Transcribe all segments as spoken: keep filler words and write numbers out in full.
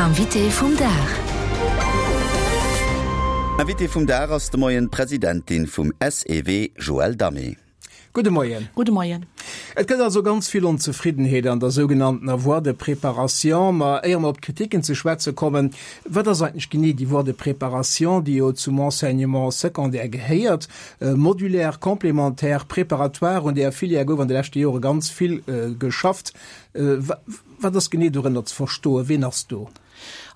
L'invité vum Dag. Invitée vum Dag ass de Moien d'Presidentin vum SEW Joëlle Damé. Gudde Moien. Gudde Moien. Et gëtt also ganz vill Onzefriddenheet an der sougenanntener Voie de préparation. Ma éier mer op d'Kritiken ze schwätze kommen, wat ass eigentlech genee déi Voie de préparation, déi jo zum Enseignement secondaire gehéiert? Modulaire, complémentaire, préparatoire, un där Filière gouf an de leschte Jore ganz vill geschafft. Wat ass genee dorënner ze verstoen? Ween ass do?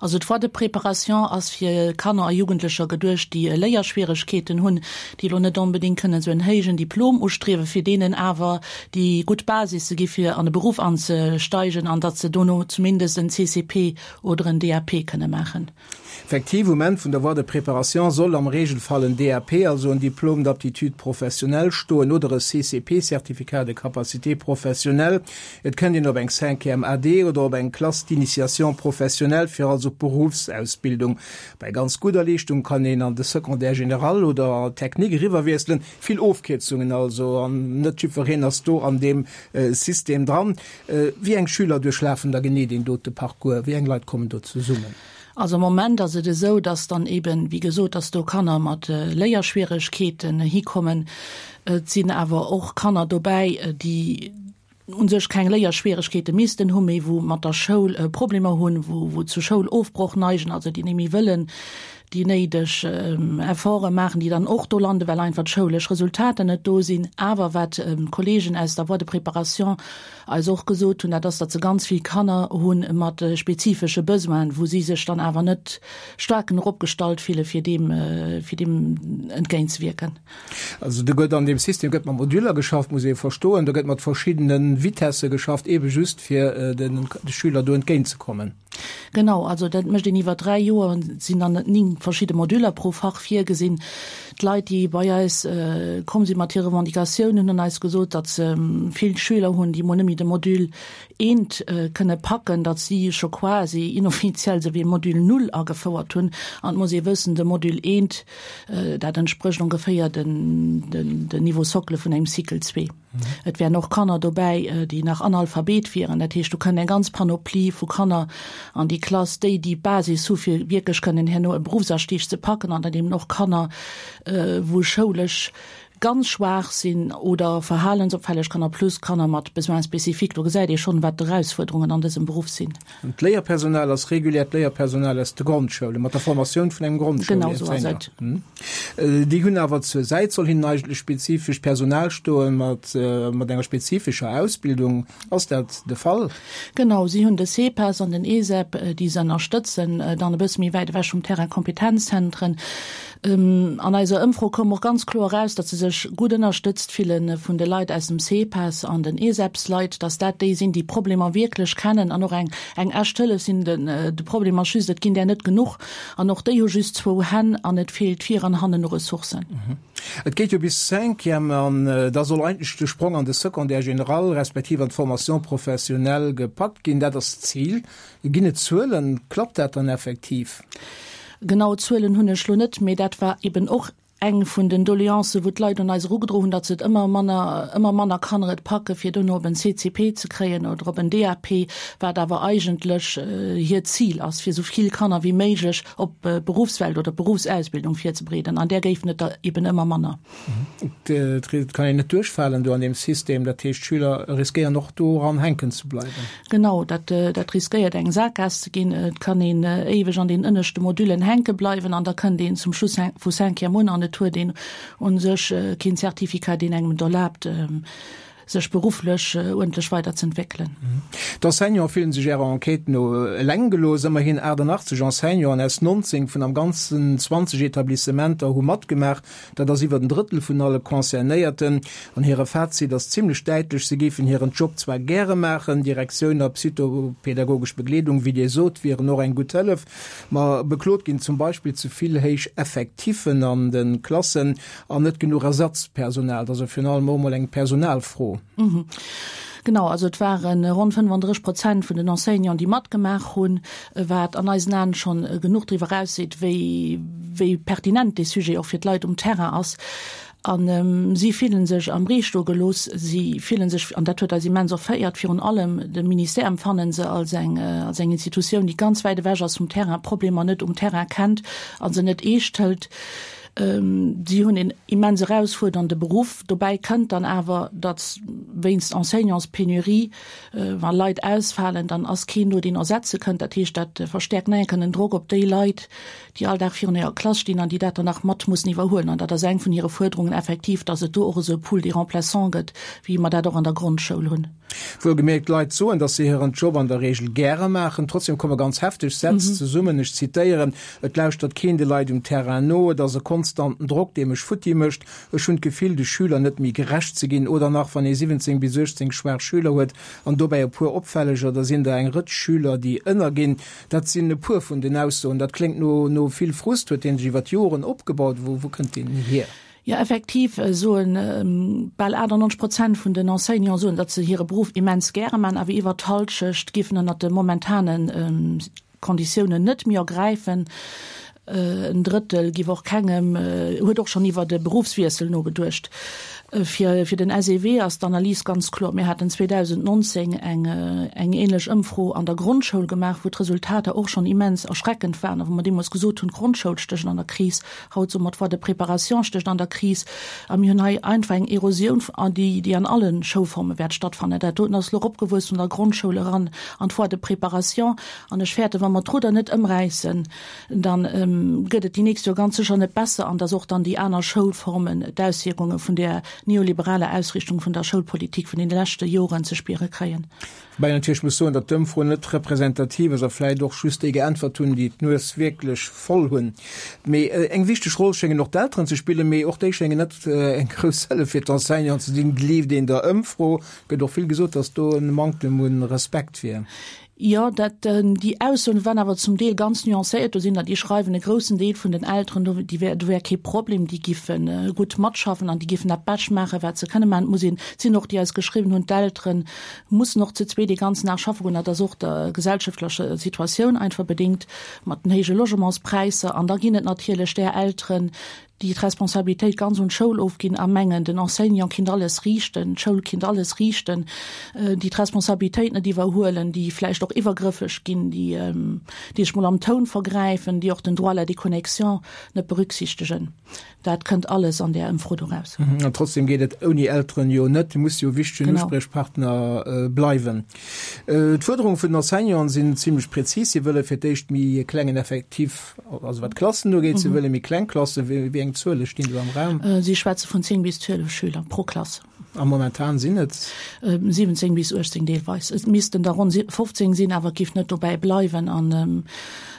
Also d'Voie de préparation ass fir Kanner a Jugendlecher geduecht, déi Léierschwieregkeeten hunn, déi elo net onbedéngt kënnen esou en héijen Diplom ustriewen, fir deenen awer déi gutt Basis ze gi fir an de Beruff anzesteigen an datt se dono zumindest en CCP oder en DAP kënne maachen. Effektiv, um Enn vun der Voie de préparation soll am Regelfall en DAP, also en Diplôme d'aptitude professionnelle, stoen oder e CCP, Certificat de capacité professionnelle. Et kënnt een op eng Cinquième AD oder op eng Classe d'initiation professionnelle, fir also d'Beruffsausbildung. Bei ganz gudder Leeschtung kann een an de Secondaire général oder technique eriwwerwiesselen. Vill Ofkierzungen also, an net jiddwereen ass do an deem System dran. Wéi eng Schüler duerchlafen da genee deen dote Parcours? Wéi eng Leit kommen do zesummen? Also am Moment ass et esou, dass dann eben, wéi gesot, dass do Kanner mat Léierschwieregkeeten hikommen. Et sinn awer och Kanner dobäi, déi u sech keng Léierschwieregkeete missten hunn, mee wou mat der Schoul Problemer hunn, wou wou zu Schoulofbroch neigen, also déi net méi wëllen déi néideg Efforte maachen, déi dann och do landen, well einfach d'schoulesch Resultater net do sinn. Awer wat d'Kollegen aus der Voie de préparation eis och gesot hunn, dat ass, datt se ganz vill Kanner hu mat spezifesche Besoinen, wou si sech dann awer net staark genuch opgestallt fille fir deem, fir deem entgéintzewierken. Also do gëtt an deem System gëtt mat Moduler geschafft, muss ee verstoen, do gëtt mat verschiddene Vitessë geschafft, eebe just fir de Schüler do entgéintzekommen. Genau, also dat mécht een iwwer dräi Joer, sinn dann néng verschidde Moduler pro Fach virgesinn. D'Leit, déi bei eis komm si mat hire Revendicatiounen, hunn eis gesot, datt se vill Schüler hunn, déi mol net méi de Module eent kënne packen, datt si scho quasi inoffiziell esou wéi e Module null agefouert hunn. An et muss ee wëssen, de Module eent, dat entsprécht ongeféier den Niveau socle vun engem Cycle zwee. Et wären och Kanner dobäi, déi nach Analphabet wieren. Dat heescht, do kënnt eng ganz Panoplie vu Kanner an déi Klass, déi déi Basis hu fir wierklech kënnen herno e Beruffsastieg ze packen an dann eben och Kanner, wou schoulesch ganz schwaach sinn oder verhalensopfälleg Kanner plus Kanner mat Besoins spécifiques. Do gesäit ee schonn, wat d'Erausfuerderungen an dësem Beruff sinn. An d'Léierpersonal ass reguläert Léierpersonal aus de Grondschoule mat der Formatioun vun engem Grondschoulerzéier. Déi hunn awer zur Säit soll hinnen eigentlech spezifescht Personal stoen mat mat enger spezifescher Ausbildung. Ass dat de Fall? Genau, si hunn de CEPAS an den ESEP, déi se ënnerstëtzen, dann e bësse méi wäit ewech vum Terrain Kompetenzzentren. An eiser Ëmfro koum och ganz kloer eraus, datt se sech gutt ënnerstëtzt fille vun de Leit aus dem CEPAS an den ESEPs-Leit, datt dat déi sinn, déi d'Problemer wierklech kennen an och eng eng echt Hëllef sinn. De Problem ass just, et ginn där net genuch an och déi hu just zwou Hänn an et feelt vir an hannen u Ressourcen. Et geet jo bis Cinquième an da soll eigentlech de Sprong an de Secondaire général respektiv an d'Formation professionnelle gepackt ginn. Dat ass d'Zil. Ginn et Zuelen? Klappt dat dann effektiv? Genau Zuelen hunn ech lo net, mee dat war eben och eng vun den Doleancen, wou d'Leit un eis erugedroen hunn, datt se et ëmmer manner, ëmmer manner Kanner et packe fir dono op en CCP ze kréien oder op en DAP, wat awer eigentlech hiert Zil ass, fir esou vill Kanner wéi méiglech op d'Beruffswelt oder d'Beruffsausbildung virzebereeden. An där géifen et der eben ëmmer manner. Et kann een net duerchfalen do an deem System, dat heescht d'Schüler riskéieren och doran hänken ze bleiwen. Genau, dat dat riskéiert eng Saakgaass ze ginn. Et kann een éiweg an den ënneschte Modüllen hänke bleiwen an da kënnt een zum Schluss vu Cinquième un an et huet een u sech keen Certificat, deen engem et erlaabt, sech berufflech uerdentlech weiderzëentwéckelen. D'Enseignante fillen sech Ärer Enquête no eleng gelooss. Ëmmerhin achtannachtzeg Enseignanten aus nonzéng vun am Ganzen zwanzeg Etablissementer hu matgemaach. Dat ass iwwer en Drëttel vun alle Concernéierten. An hire Fazit ass zimlech däitlech, Se géifen hiren Job zwar gäre maachen, Direktioun a psychopedagogesch Begleedung, wéi Dir sot, wieren och eng gutt Hëllef, ma beklot ginn zum Beispill ze vill héich Effektiffen an de Klassen an net genuch Ersatzpersonal. Dat ass jo virun allem och emol eng Personalfro. Genau, also et ware ronn fënnefandrësseg Prozent vun den Enseignanten, déi matgemaach hunn, wat an eisen Aen schonn genuch driwwer erausseet, wéi, wéi pertinent dee Sujet och fir d'Leit um Terrain ass. An si fillen sech am Ree stoe gelooss, si fillen sech, an dat huet eis immens erféiert, virun allem de Ministère empfannen se als eng, als eng Institutioun, déi ganz wäit ewech ass vum Terrain, Problemer net um Terrain kennt a se net eescht hëlt. Si hunn en immens erausfuerdernde Beruff. Dobäi kënnt dann awer, datt wéinst Enseignantspenurie, wa Leit ausfalen, dann ass keen do, deen ersetze kënnt. Dat heescht, dat verstäerkt nach eng Kéier den Drock op déi Leit, déi all Dag virun hirer Klass stinn an déi dat dann nach mat mussen iwwerhuelen. An dat ass eng vun hire Fuerderungen effektiv, datt et do och esou e Pool des remplaçants gëtt, wéi mer dat och an der Grondschoul hunn. Wuelgemierkt, d'Leit soen, datt se hiren Job an der Reegel gäre maachen. Trotzdem komme ganz hefteg Sätz zesummen, ech zitéieren, Et lauschtert keen de Leit um Terrain no, et ass e konstanten Drock, dee mech futti mécht, ech hunn d'Gefill, de Schüler net méi gerecht ze ginn. Oder nach, Wann ee siwwenzéng bis uechtzéng schwaach Schüler huet an dobäi e puer opfälleger, da sinn der eng Rëtsch Schüler, déi ënnerginn. Dat sinn e puer vun den Aussoen. Dat kléngt no no vill Frust. Huet dee sech iwwer d'Joren opgebaut? Wou wou kënnt deen hier? Jo, effektiv soen bal achtannonzeg Prozent vun den Enseignanten soen, datt se hire Beruff immens gäre man, awer iwwer d'Hallschecht géifen ënnert de momentane Konditiounen net méi ergräifen. En Drëttel giff och kengem, huet och schonn iwwert e Beruffswiessel nogeduecht. Fir fir den S E W ass d'Analys ganz kloer. Mir haten zweedausendnonzéng eng eng änlech Ëmfro an der Grondschoul gemaach, wou d'Resultater och schonn immens erschreckend waren a wou mer deemools gesot hunn, d'Grondschoul stécht an der Kris. Haut soe mer, d'Voie de préparation stécht an der Kris. A mir hunn hei einfach eng Erosioun, déi déi an alle Schoulforme wäert stattfannen. Dat doten ass elo eropgewuess vun der Grondschoul eran an d'Voie de préparation. An ech fäerten, wa mer d'Rudder net ëmräissen, dann gëtt et déi nächst Joer ganz sécher net besser an dass och dann déi aner Schoulformen d'Auswierkunge vun där neoliberaler Ausrichtung vun der Schoulpolitik vun deene leschte Joren ze spiere kréien. Woubäi een natierlech muss soen, datt d'Ëmfro net representativ ass a vläicht och just déi geäntwert hunn, déi d'Nues wierklech voll hunn. Mee eng wichteg Roll schéngen och d'Elteren ze spillen, mee och déi schéngen net eng grouss Hëllef fir d'Enseignanten ze sinn, gleeft een der Ëmfro. Gëtt och vill gesot, datt do e Manktem un Respekt wier. Jo, dat, déi Aussoen waren awer zum Deel ganz nuancéiert. Do sinn der, déi schreiwen, e groussen Deel vun den Elteren, do, déi wär, do wär kee Problem, déi giffe gutt matschaffen an déi giffen dat Bescht maachen, wat se kënne maachen. Et muss een, et sinn och déi eis geschriwwen hunn, d'Eltere mussen och zu zwee dee ganzen Dag schaffe goen. Dat ass och der gesellschaftlecher Situatioun einfach bedéngt mat den héije Logementspräisser. An da ginn et natierlech där Elteren, déi d'Responsabilitéit ganz un d'Schoul ofginn a mengen, den Enseignant kinnt alles riichten, d'Schoul kinnt alles riichten, déi d'Responsabilitéit net iwwerhuelen, déi vläicht och iwwergrëffeg ginn, déi déi sech mol am Toun vergräifen, déi och den Droit à la déconnexion net berücksichtegen. Dat kënnt alles an där Ëmfro do raus. An trotzdem geet et ouni Elteren jo net, déi musse jo wichtegen Uspriechpartner bleiwen. D'Fuerderunge vun den Enseignanten sinn zimlech prezis, Si wëlle fir d'éischt méi e klengen Effektif, also wat d'Klassen ugeet, si wëlle méi kleng Klassen. Wéi eng Zuele stinn do am Raum? Si schwätze vun zéng bis zwielef Schüler pro Klass. A momentan sinn et? siwwenzéng bis uechtzéng deelweis. Et missten der ronn fofzéng sinn, awer et géif net dobäi bleiwen. An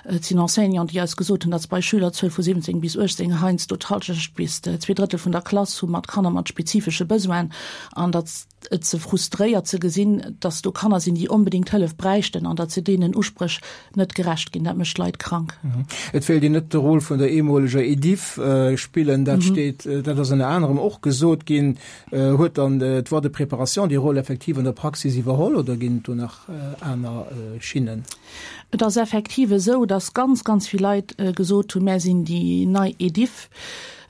et sinn Enseignanten, déi eis gesot hunn, datt se bei Schülerzuel vu siwwenzéng bis uechtzéng heiansdo d'Hallschecht bis zwee Drëttel vun der Klass hu mat Kanner mat spezifesche Besoinen an datt et se frustréiert ze gesinn, datt do Kanner sinn, déi onbedéngt Hëllef bräichten an datt se deenen Uspréch net gerecht ginn. Dat mécht d'Leit krank. Et wéilt een net de Rôle vun der eemoleger Ediff spillen, dat steet, dat ass ënner anerem och gesot ginn. Huet dann d'Voie de préparation déi Roll effektiv an der Praxis iwwerholl oder ginn et do nach aner Schinnen? Et ass effektiv esou, datt ganz, ganz vill Leit gesot hunn, Mär sinn déi nei Ediff.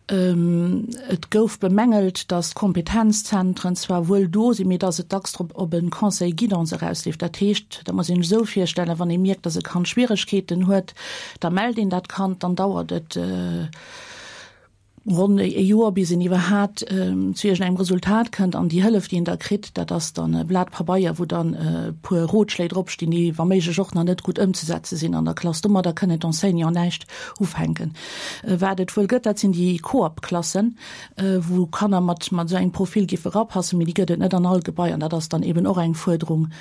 Et gouf bemängelt, datt d'Kompetenzzentren zwar wuel do sinn, mee datt et dacks drop op e Conseil guidance erausleeft. Dat heescht, dat muss een sech esou virstellen, wann ee mierkt, datt e Kand Schwieregkeeten huet, da mellt een dat Kand, dann dauert et ronn e Joer, bis een iwwerhaat zu iergendengem Resultat kënnt. An déi Hëllef, déi een da kritt, dat ass dann e Blat Pabeier, wou dann e puer Rotschléi dropstinn, déi wa méiglech och nach net gutt ëmzesetze sinn an der Klass. Domadder kënnen d'Enseignanten näischt ufänken. Wat et wuel gëtt, dat sinn déi Koop-Klassen, wou Kanner mat mat esou engem Profil géife erapassen, mee déi gëtt et net an all Gebai. An dat ass dann eben och eng Fuerderung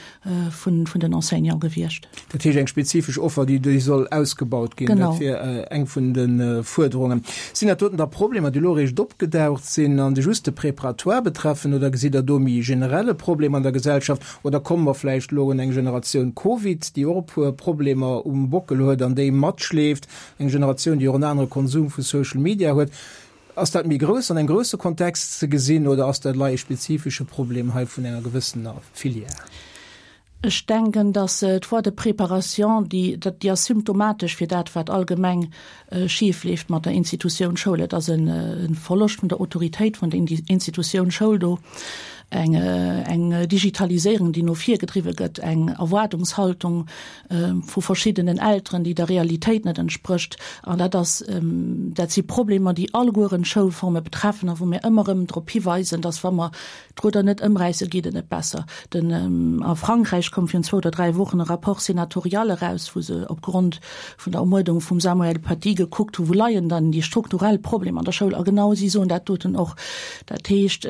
vun vun den Enseignanten gewiescht. Dat heescht eng spezifesch Offer, déi déi soll ausgebaut ginn. Dat wier eng vun de Fuerderungen. Sinn dat doten da Problemer, déi elo eréischt opgedaucht sinn an déi just de Préparatoire betreffen, oder gesitt Der do méi generelle Problem an der Gesellschaft? Oder komme mer vläicht elo un eng Generatioun Covid, déi och e puer Problemer um Bockel huet an déi matschleeft, eng Generatioun, déi och en anere Konsum vu Social Media huet? Ass dat méi grouss, an engem grousse Kontext ze gesinn, oder ass dat elei e spezifesche Problem hei vun enger gewëssener Filière? Ech denken, dass d'Voie de préparation, déi, dat, déi ass symptomatesch fir dat, wat allgemeng schif leeft mat der Institutioun Schoul. Et ass en Verloscht vun der Autoritéit vun der Institutioun Schoul do, eng, eng Digitaliséierung, déi no vir gedriwwe gëtt, eng Erwaardungshaltung vu verschiddenen Elteren, déi der Realitéit net entsprécht. An dat ass, dat si Problemer, déi allegueren d'Schoulforme betreffen a wou mir ëmmer erëm drop hiweisen, dass, wa mer d'Rudder net ëmräissen, geet et net besser. Den, a Frankräich koum virun zwou oder dräi Wochen e Rapport sénatorial eraus, wou se opgrond vun der Ermuerdung vum Samuel Paty gekuckt hu, wou leien dann déi strukturell Problemer an der Schoul. A genau si soen dat doten och. Dat heescht,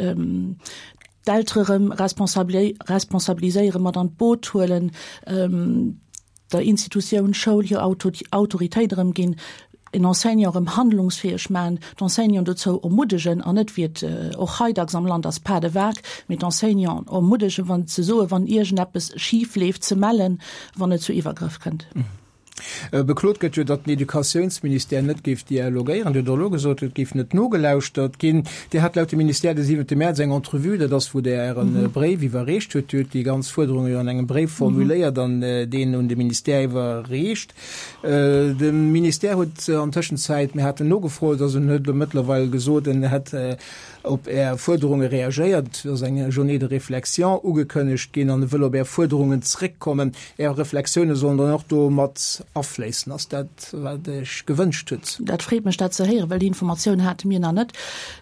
d'Eltere rëm responsabiliséieren, mat an d'Boot huelen, der Institutioun Schoul hir Autoritéit erëmginn, en Enseignant erëm handlungsfäeg maachen, d'Enseignanten dozou ermuddegen, an net, wéi et och hei dacks am Land ass, pas de vague, mee d'Enseignanten ermuddegen, wann ze soen, wann iergendeppes schif leeft, ze mellen, wann et zu Iwwergrëff kënnt. Beklot gëtt jo, datt den Educatiounsministère net géif dialogéieren. Dir hutt och elo gesot, et géif net nogelauschtert ginn. Dir hat laut dem Ministère de siwente Mäerz eng Entrevue, dat ass wou Der Äre Bréif iwwerreecht hutt. Dir hutt déi ganz Fuerderunge jo an engem Bréif formuléiert an deen un de Ministère iwwerreecht. De Ministère huet an Tëschenzäit, mir haten nogefrot, also en huet elo mëttlerweil gesot, en hätt op Är Fuerderunge reagéiert. Et ass eng Journée de réflexion ugekënnegt ginn an e wëll op Är Fuerderungen zréckkommen. Är Reflexioune sollen dann och do mat afléissen. Ass dat, wat Der Iech gewënscht hutt? Dat freet mech, dat ze héieren, well déi Informatioun hate mir nach net.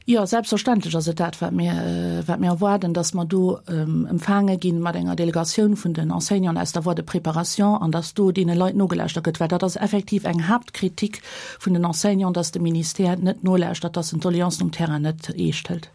Jo, selbstverständlech ass et dat, wat mir, wat mir erwaarden, dass mer do empfaange gi mat enger Delegatioun vun den Enseignanten aus der Voie de préparation an dass do deene Leit nogelauschtert gëtt, well dat ass effektiv eng Haaptkritik vun den Enseignanten, dass de Ministère net nolauschtert, dass en d'Doleancen um Terrain net eescht hëlt.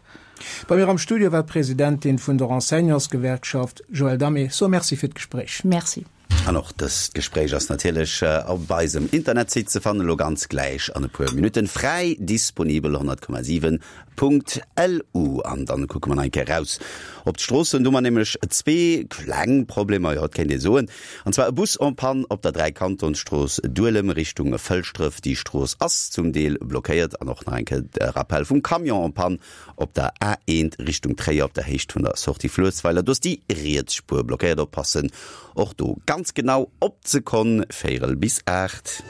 Bei mir am Studio war d'Presidentin vun der Enseignantsgewerkschaft Joëlle Damé. So Merci fir d'Gespréich. Merci. An och dëst Gespréich ass natierlech op eisem Internetsite ze fannen, elo ganz gläich an e puer Minutten fräi disponibel, honnert Komma siwen Punkt lu. An dann kucke mer nach eng Kéier raus op d'Stroossen. Do hu mer nämlech zwee kleng Problemer, jo, et kéint ee soen. An zwar e Bus en panne op der Dräikantonsstrooss Duelem Richtung Fëlschdref. Déi Strooss ass zum Deel blockéiert. An och nach eng Kéier de Rappel vum Camion en panne op der A eent Richtung Tréier op der Héicht vun der Sortie Fluessweiler. Do ass déi riets Spuer blockéiert. Oppassen och do ganz genau op d'Sekonn, véierel bis aacht.